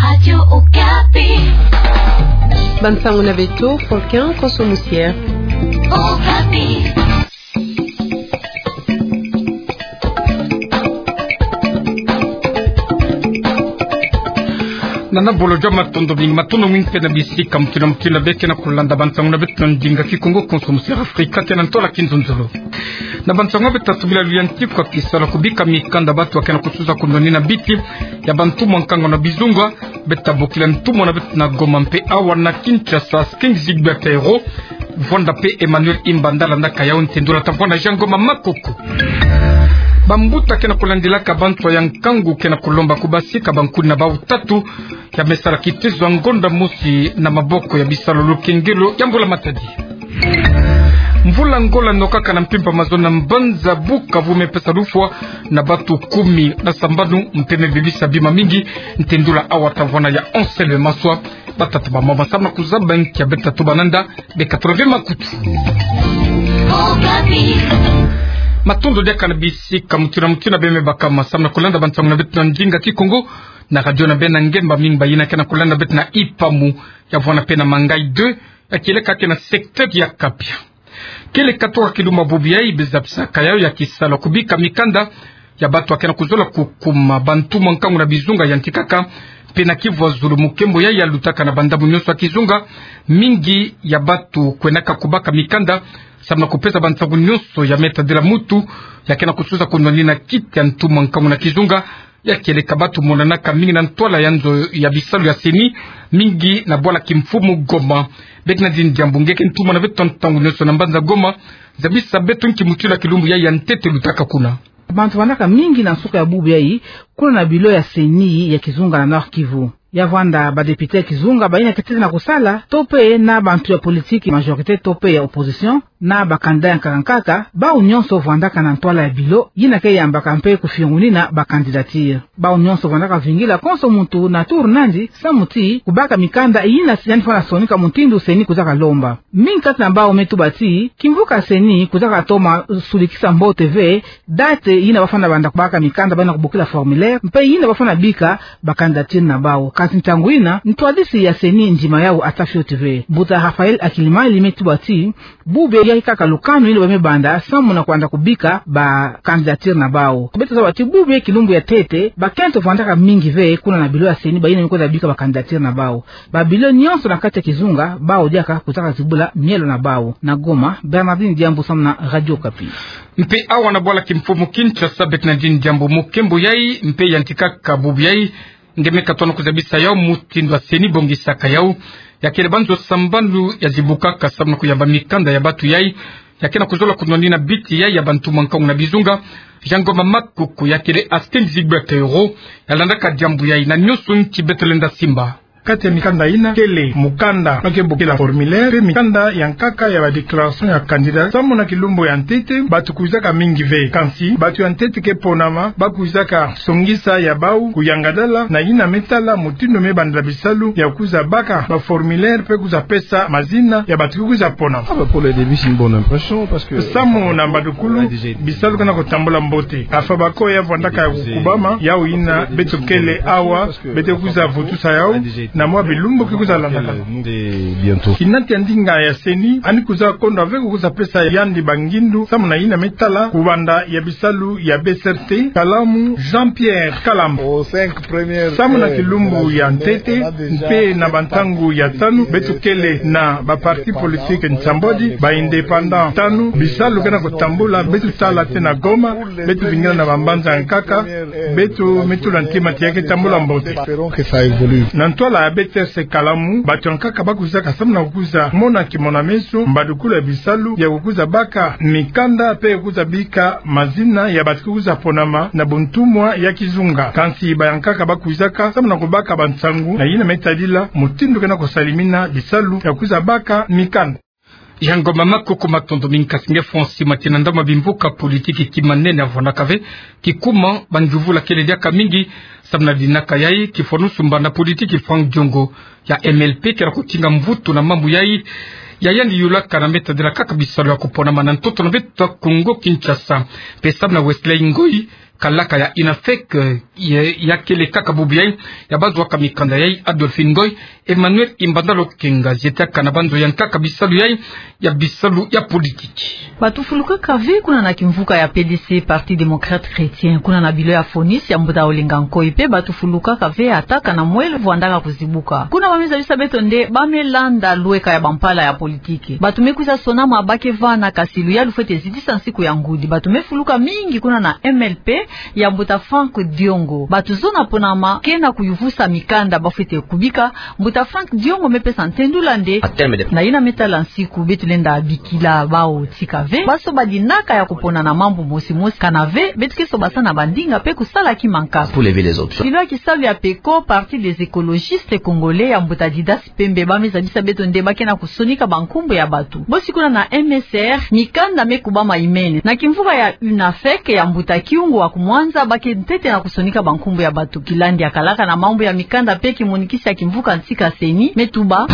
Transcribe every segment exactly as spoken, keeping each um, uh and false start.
Radio Okapi. Bansango na beto, Faulkun Konso Musière. Okapi. Nana bolo jua matondo mingi, matondo mingi mpe na bisika mutuna mutuna be ke na kulanda bansango na beto na ndinga Kikongo Konso Musière Afrika, ke na ntwala kinzonzolo. Na bansango beto tasubi la luyanti kwa kisalu kubika mikanda batu ya ke na kusuza kunwanina biti ya bantumwa nkangu na bizunga, beto tabokila ntumwa na beto na Goma mpe awa na Kinshasa, King Gilbert Ayoro, vwanda mpe Emmanuel Imbanda landaka yawu. Ntendula tavwanda Jean Ngoma Makoko. Bambuta ke na kulandilaka banswa ya nkangu ke na kulomba kubasika bankuni na bawu tatu ya me sala kitezo ya ngonda mosi na maboko ya bisalu lukengelo ya mbula matadi. Mvula ngola nokaka na mpimpa mazono na mbanza Bukavu me pesa lufwa na batu kumi na sambanu mpe me bebisa bima mingi. Ntendula awa tavwanda ya Anselme Maswa. Batata bamama, samu na kuzaba nki ya beto tatu bananda, beka tolo ve makutu. Matondo diaka na bisika mutuna mutuna be me bakama samu na kulanda bansango na beto na ndinga Kikongo na radio na bena ngemba mingi bayina ke na kulanda beto na Ipamu, ya vwanda mpe na Mangaï deux, ya kieleka ke na secteur ya Kapia. Kieleka toko kilumbu bubu yayi bezabisaka yawu ya kisalu kubika mikanda ya batu ya ke na kuzola kukuma bantumwa nkangu na bizunga yantikaka mpe na kivwazulu mu nkembo yayi ya lutaka na bandambu nyonso ya kizunga. Mingi ya batu kwendaka kubaka mikanda samu na kupesa bansangu nyonso ya me tadila mutu ya ke na kusuza kunwanina kiti ya ntumwa nkangu na kizunga. Ya kieleka batu monanaka mingi na ntwala ya nzo ya bisalu ya CENI, mingi na bwala kimfumu Goma. Bernardine Diambu, nge ke ntumwa na beto ntangu nyonso na mbanza Goma, zabisa beto nki mutula kilumbu yayi ya ntete lutaka kuna. Bantu vandaka mingi na nsuka ya bubu yayi kuna na bilo ya CENI ya kizunga na Nord-Kivu. Ya vwanda badepute ya kizunga bayina ke ntete na kusala, to mpe na bantu ya politiki, majorité to mpe ya opposition, na bakandida ya nkaka nkaka, bawu nyonso vandaka na ntwala ya bilo yina ke yambaka mpe kufiongunina bacandidature. Bawu nyonso vandaka vingila konso muntu na tour nandi samu ti kubaka mikanda yina yandi fwana sonika mutindu CENI kuzaka lomba. Mingi kati na bawu me tuba ti kimvuka CENI kuzaka toma sulikisa mbote ve date yina bafwana banda kubaka mikanda, bayina kubokila formulaire, mpe yina bafwana bika bacandidature na bawu. Kasi ntangu yina ntwadisi ya CENI ndima yawu ata fioti ve. Mbuta Raphaël Akilimali me tuba ti bubu yayi kaka lukanu yina ba me banda samu na kwanda kubika bacandidature na bawu. Beto zaba ti bubu yayi kilumbu ya ntete bakento vandaka mingi ve kuna na bilo ya CENI, bayina me kwenda bika bacandidature na bawu. Babilo nyonso na kati ya kizunga, bawu diaka kuzaka zibula mielo na bawu. Na Goma, Bernardine Diambu samu na Radio Okapi. Mpe awa na bwala kimfumu Kinshasa, Bernardine Diambu, mu nkembo yayi mpe yantikaka bubu yayi, nge me katona kuzabisa yawu mutindu ya CENI bongisaka yawu. Ya kele banzo sambanu ya zibukaka samu na kuyamba mikanda ya batu yayi ya ke na kuzola kunwanina biti yayi ya bantumwa nkangu na bizunga. Jean Ngoma Makoko, ya kele assistant Gilbert Ayoro, ya landaka diambu yayi na nyonso nki beto lenda simba. Kati ya mikanda yina kele mukanda ba ke bokila formulaire, mpe mikanda ya nkaka ya ba déclaration ya candidat. Samu na kilumbu ya ntete batu kwizaka mingi ve, kansi batu ya ntete ke ponama ba kwizaka songisa ya bawu kuyangalala na yina me tala mutindu me bandila bisalu ya kwiza baka ba formulaire mpe kwiza pesa mazina ya batu ke kwiza ponama. Ah, bah, pour le début, c'est une bonne impression parce que samu na mbadukulu, bisalu ke na kutambula mbote. Afa bako ya vandaka ya kukubama, yawu yina beto kele awa, beto kwiza vutusa yawu na mwa bilumbu ke kwiza landaka. Kinati ya ndinga ya CENI, yandi kwiza konda ve kwiza pesa yandi bangindu samu na yina me tala kubanda ya bisalu ya B C R T, kalamu Jean-Pierre Kalamba. Samu na kilumbu ya ntete mpe na bantangu ya tanu, beto kele na ba parti politique nsambwadi, ba indépendant tanu, bisalu ke na kutambula, beto tala te na Goma, beto vingila na bambanza ya nkaka, beto me tula ntima ti ya ke tambula mbote. Na ntwala ya B T S kalamu, batu ya nkaka ba kwizaka samu na kwiza mona kimona meso mbadukulu ya bisalu ya kwiza baka mikanda mpe kwiza bika mazina ya batu ke kwiza ponama na buntumwa ya kizunga. Kansi ba ya nkaka ba kwizaka samu na kubaka bansangu na yina me tadila mutindu ke na kusalimina bisalu ya kwiza baka mikanda. Jean Ngoma Makoko, matondo mingi, kasi nge fwa sima ti na ndambu ya bimvuka politiki kima nene avwanaka ve, kikuma banjuvula kele diaka mingi. Samu na dinaka yayi, kifwanusu mbanda politiki Franck Diongo ya M L P kena kutinga mvutu na mambu yayi, ya yandi yulaka na me tadila kaka bisalu ya kuponama na ntoto na beto ya Congo Kinshasa. Mpe samu na Wesley Ngoyi, kalaka ya UNAFEC, ya, ya kele kaka bubu yayi, ya bazwaka mikanda yayi, Adolphine Ngoyi, Emmanuel Imbanda Lokenga, zietaka na banzo ya nkaka bisalu yayi, ya bisalu ya politiki. Bato fulukaka ve kuna na kimvuka ya P D C, Parti Démocrate Chrétien, kuna na bilo ya FONIS ya mbuta Olenga Nkoyi, mpe bato fulukaka ve ata kana mwelo vwandaka kuzibuka. Kuna ba me zabisa beto nde ba me landa lweka ya bampala ya politiki. Bato me kwiza sonama ba ke vana, kasi luyalu fwete zitisa nsiku ya ngudi. Bato me fuluka mingi kuna na M L P ya mbuta Franck Diongo. Bato zona ponama kena kuyuvusa mikanda ba fwete kubika. Mbuta Franck Diongo me pesa ntendula nde: na yina me tala nsiku, beto lenda bikila bawu tika ve, ba soba dinaka ya kupona na mambu mosi mosi, kana ve beto ke sobasana bandinga mpe kusala kima nkaka. Bilo ya kisalu ya PECO, Parti des Écologistes Congolais ya mbuta Didas Pembe, ba me zabisa beto nde ba kena kusonika bankumbu ya bato. Bosi kuna na M S R, mikanda me kubama imene. Na kimvuka ya UNAFEC ya mbuta Kiungu wa Kumwanza, ba ke ntete na kusonika bankumbu ya bato. Kilandi ya kalaka na mambu ya mikanda mpe kimonikisi ya kimvuka ntika CENI me tuba: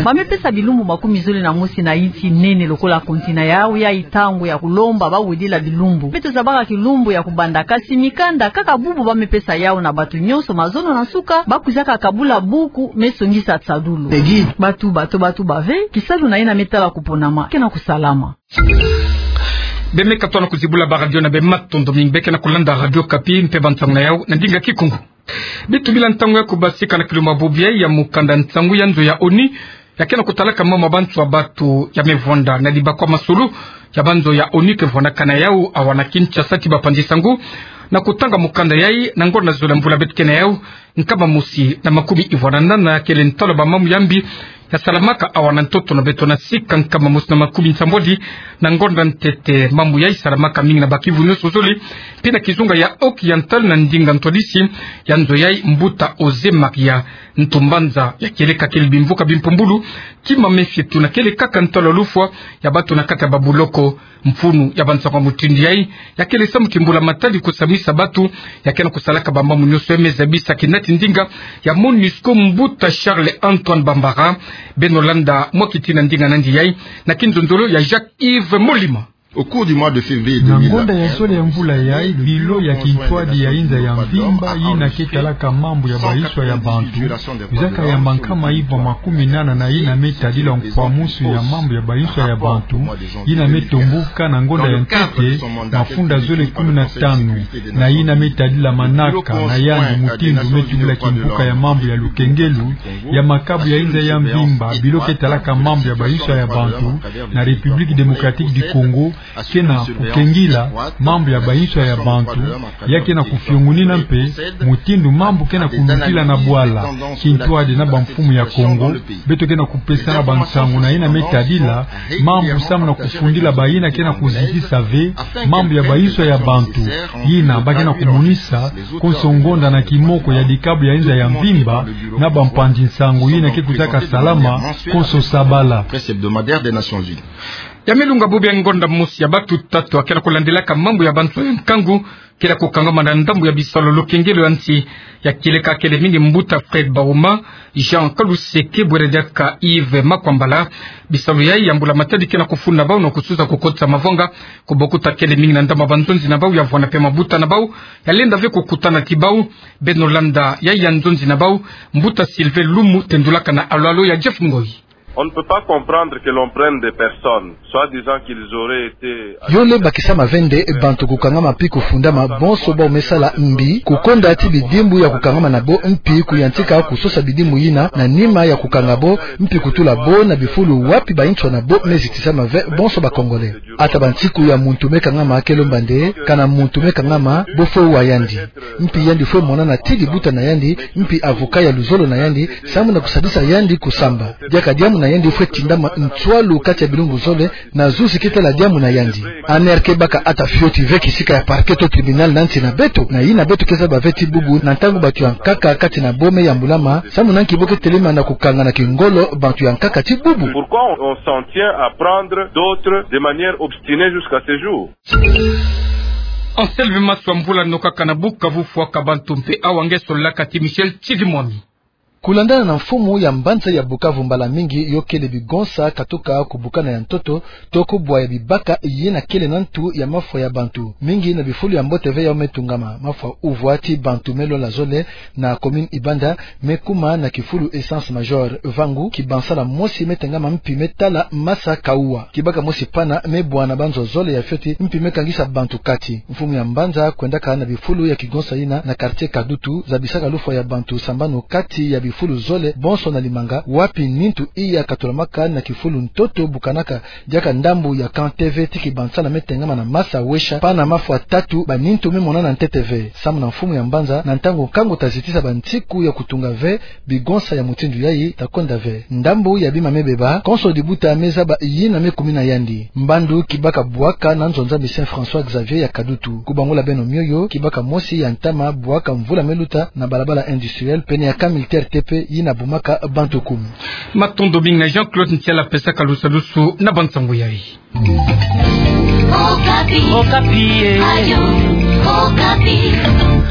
ba me pesa bilumbu makumi zole na mosi na insi nene lokola kontina yawu yayi ntangu ya kulomba ba wedila bilumbu. Beto zabaka kilumbu ya kubanda, kasi mikanda kaka bubu ba me pesa yawu na bato nyonso. Mazono na nsuka, ba kwizaka kabula buku me songisa tsadulu. Bato, bato, bato ba ve, kisalu na yina me tala kuponama kena kusalama. Be me katuka na kuzibula ba radio na be, matondo mingi. Be kena kulanda Radio Okapi mpe bansangu na yawu na ndinga Kikongo. Bitubila ntangu ya kubasika na kilumbu bubu yayi ya mukanda nsangu ya nzo ya ONU ya kena kutalaka mambu ma banswa bato ya me vwanda na dibakwa masolo ya banzo ya ONU ke vwandaka na yawu awa na Kinshasa ti bapanzi nsangu, na kutanga mukanda yayi na ngonda zole mvula beto ke na yawu, nkama mosi na makumi ivwara na nana, kele ntalu ya bamambu ya mbi ya salamaka awa na ntoto na beto na sika nkama mosi na makumi nsambwadi na ngonda ntete. Mambu yayi salamaka mingi na ba kivu nyonso zole, mpe na kizunga ya Occidental na ndinga ntwadisi ya nzo yayi, mbuta José Maria Ntumbanza ya kieleka kele bimvuka bimpumbulu, kima me fietu na kele kaka ntalu ya lufwa ya bato na kati ya babuloko. Mfunu ya bansangu ya mutindu yayi ya kele samu ti mbula-matadi kusamisa bato ya kena kusalaka bamambu nyonso ya me zabisa kina ti ndinga ya MONUSCO, mbuta Charles Antoine Bambara. Beno landa mwa kiti na ndinga nandi yayi na kinzonzolo ya Jacques Yves Molima. Au cours du mois de février deux mille vingt et un, na ngonda ya zole ya mvula yayi, bilo ya kintwadi ya inza ya mvimba yina ke talaka mambu ya bayinswa ya bantu, kwizaka yamba nkama ivwa makumi nana na yina me tadila nkwamusu ya mambu ya bayinswa ya bantu, yina me tombuka na ngonda ya ntete, mafunda zole kumi na tanu na yina me tadila manaka na yandi mutindu me tubila kimvuka ya mambu ya lukengelu ya makabu ya inza ya mvimba, bilo ke talaka mambu ya bayinswa ya bantu na République Démocratique du Congo, kena kukengila mambu ya bayinswa ya bantu, ya kena kufiongonina mpe mutindu mambu kena kulutila na bwala. Kintwadi na bamfumu ya Congo, beto kena kupesana bansangu na yina me tadila mambu samu na kufundila bayina kena kuzitisa ve mambu ya bayinswa ya bantu, yina ba kena kumonisa konso ngonda na kimoko ya dikabu ya inza ya mvimba na bampanzi nsangu yina ke kwizaka salama konso sabala. Presse hebdomadaire des Nations Unies. Ya me lunga bubu yayi ngonda mosi ya bato tatu ya kena kulandilaka mambu ya banswa ya nkangu kena kukangama na ndambu ya bisalu ya lukengelu ya nsi, ya kieleka kele mingi mbuta Fred Bauma, Jean Kaluseke, bwere diaka Yves Makwambala. Bisalu yayi ya mbula-matadi kena kufunda bawu na kusuza kukotisa mavanga, kubokuta kele mingi na ndambu ya banzonzi na bawu ya vwanda mpe mabuta na bawu ya lenda ve kukutana ti bawu. Beno landa yayi ya nzonzi na bawu, mbuta Sylvain Lumu tendulaka na alo-alo ya Jeff Ngoyi. On ne peut pas comprendre que l'on prenne des personnes, soi-disant qu'ils auraient été... Yole bakisama ve nde bantu kukangama mpi kufundama, bonso bawu me sala mbi, kukonda ti bidimbu ya kukangama na bo, mpi kuyantika kusosa bidimbu yina na nima ya kukanga bo, mpi kutula bo na bifulu wapi bayinswa na bo me zitisama ve, bonso ba Congolais. Ata bansiku ya muntu me kangama, ke lomba nde kana muntu me kangama bo fwe wa yandi. Mpi yandi fwe monana ti dibuta na yandi, mpi avocat ya luzolo na yandi, samu na kusadisa yandi kusamba. Diaka diambu na yandi fwe tindama nswalu kati ya bilumbu zole, na zuzi ke tala diambu na yandi. Aner ke baka ata fioti ve kisika ya parquet to tribunal na nsi na beto, na yina beto ke zaba ve ti bubu na ntangu bantu ya nkaka kati na bo me yambulama, samu na nki bo ke telema na kukanga na kingolo bantu ya nkaka ti bubu. Pourquoi on, on s'en tient à prendre d'autres de manière obstinée jusqu'à ce jour ? Anselme Maswa, mvula no kaka na Bukavu, fwaka bantu mpe awa nge solaka ti Michel Tsidimwami. Kulandana na mfumu ya mbanza ya Bukavu, mbala mingi yo kele bigonsa katuka ku bukana ya ntoto, toko bwa ya bibaka yina kele na ntu ya mafwa ya bantu. Mingi na bifulu ya mbote ve yao me tungama, mafwa uvwa ti bantu me lola zole na commune Ibanda, me kuma na kifulu Essence Major. Vangu kibansala mosi me tengama mpi me tala masa kauwa. Kibaka mosi pana me bwana banzo zole ya fioti, mpi me kangisa bantu kati. Mfumu ya mbanza kwendaka na bifulu ya kigonsa yina na quartier Kadutu, zabisaka lufwa ya bantu sambanu kati ya bifulu zole bonso na Limanga, wapi nintu iya katulamaka na kifulu ntoto bukanaka diaka ndambu ya Camp T V ti kibansala me tengama na masa wesha, pana mafwa tatu banintu me monana ntete ve. Samu na mfumu ya mbanza, na ntangu nkangu ta zitisa bansiku ya kutunga ve, bigonsa ya mutindu yayi ta kwenda ve. Ndambu ya bima me beba, konso dibuta me zaba yina me kumina yandi. Mbandu kibaka bwaka na nzonza mi Saint François Xavier ya Kadutu. Kubangula beno mioyo, kibaka mosi ya ntama bwaka mvula me luta na balabala industriel, pene ya camp militaire T P, yina bumaka bantu kumi. Matondo mingi na Jean-Claude Ntiala pesaka lusalusu na bansangu yayi. Okapi. Okapi, eh. Radio Okapi.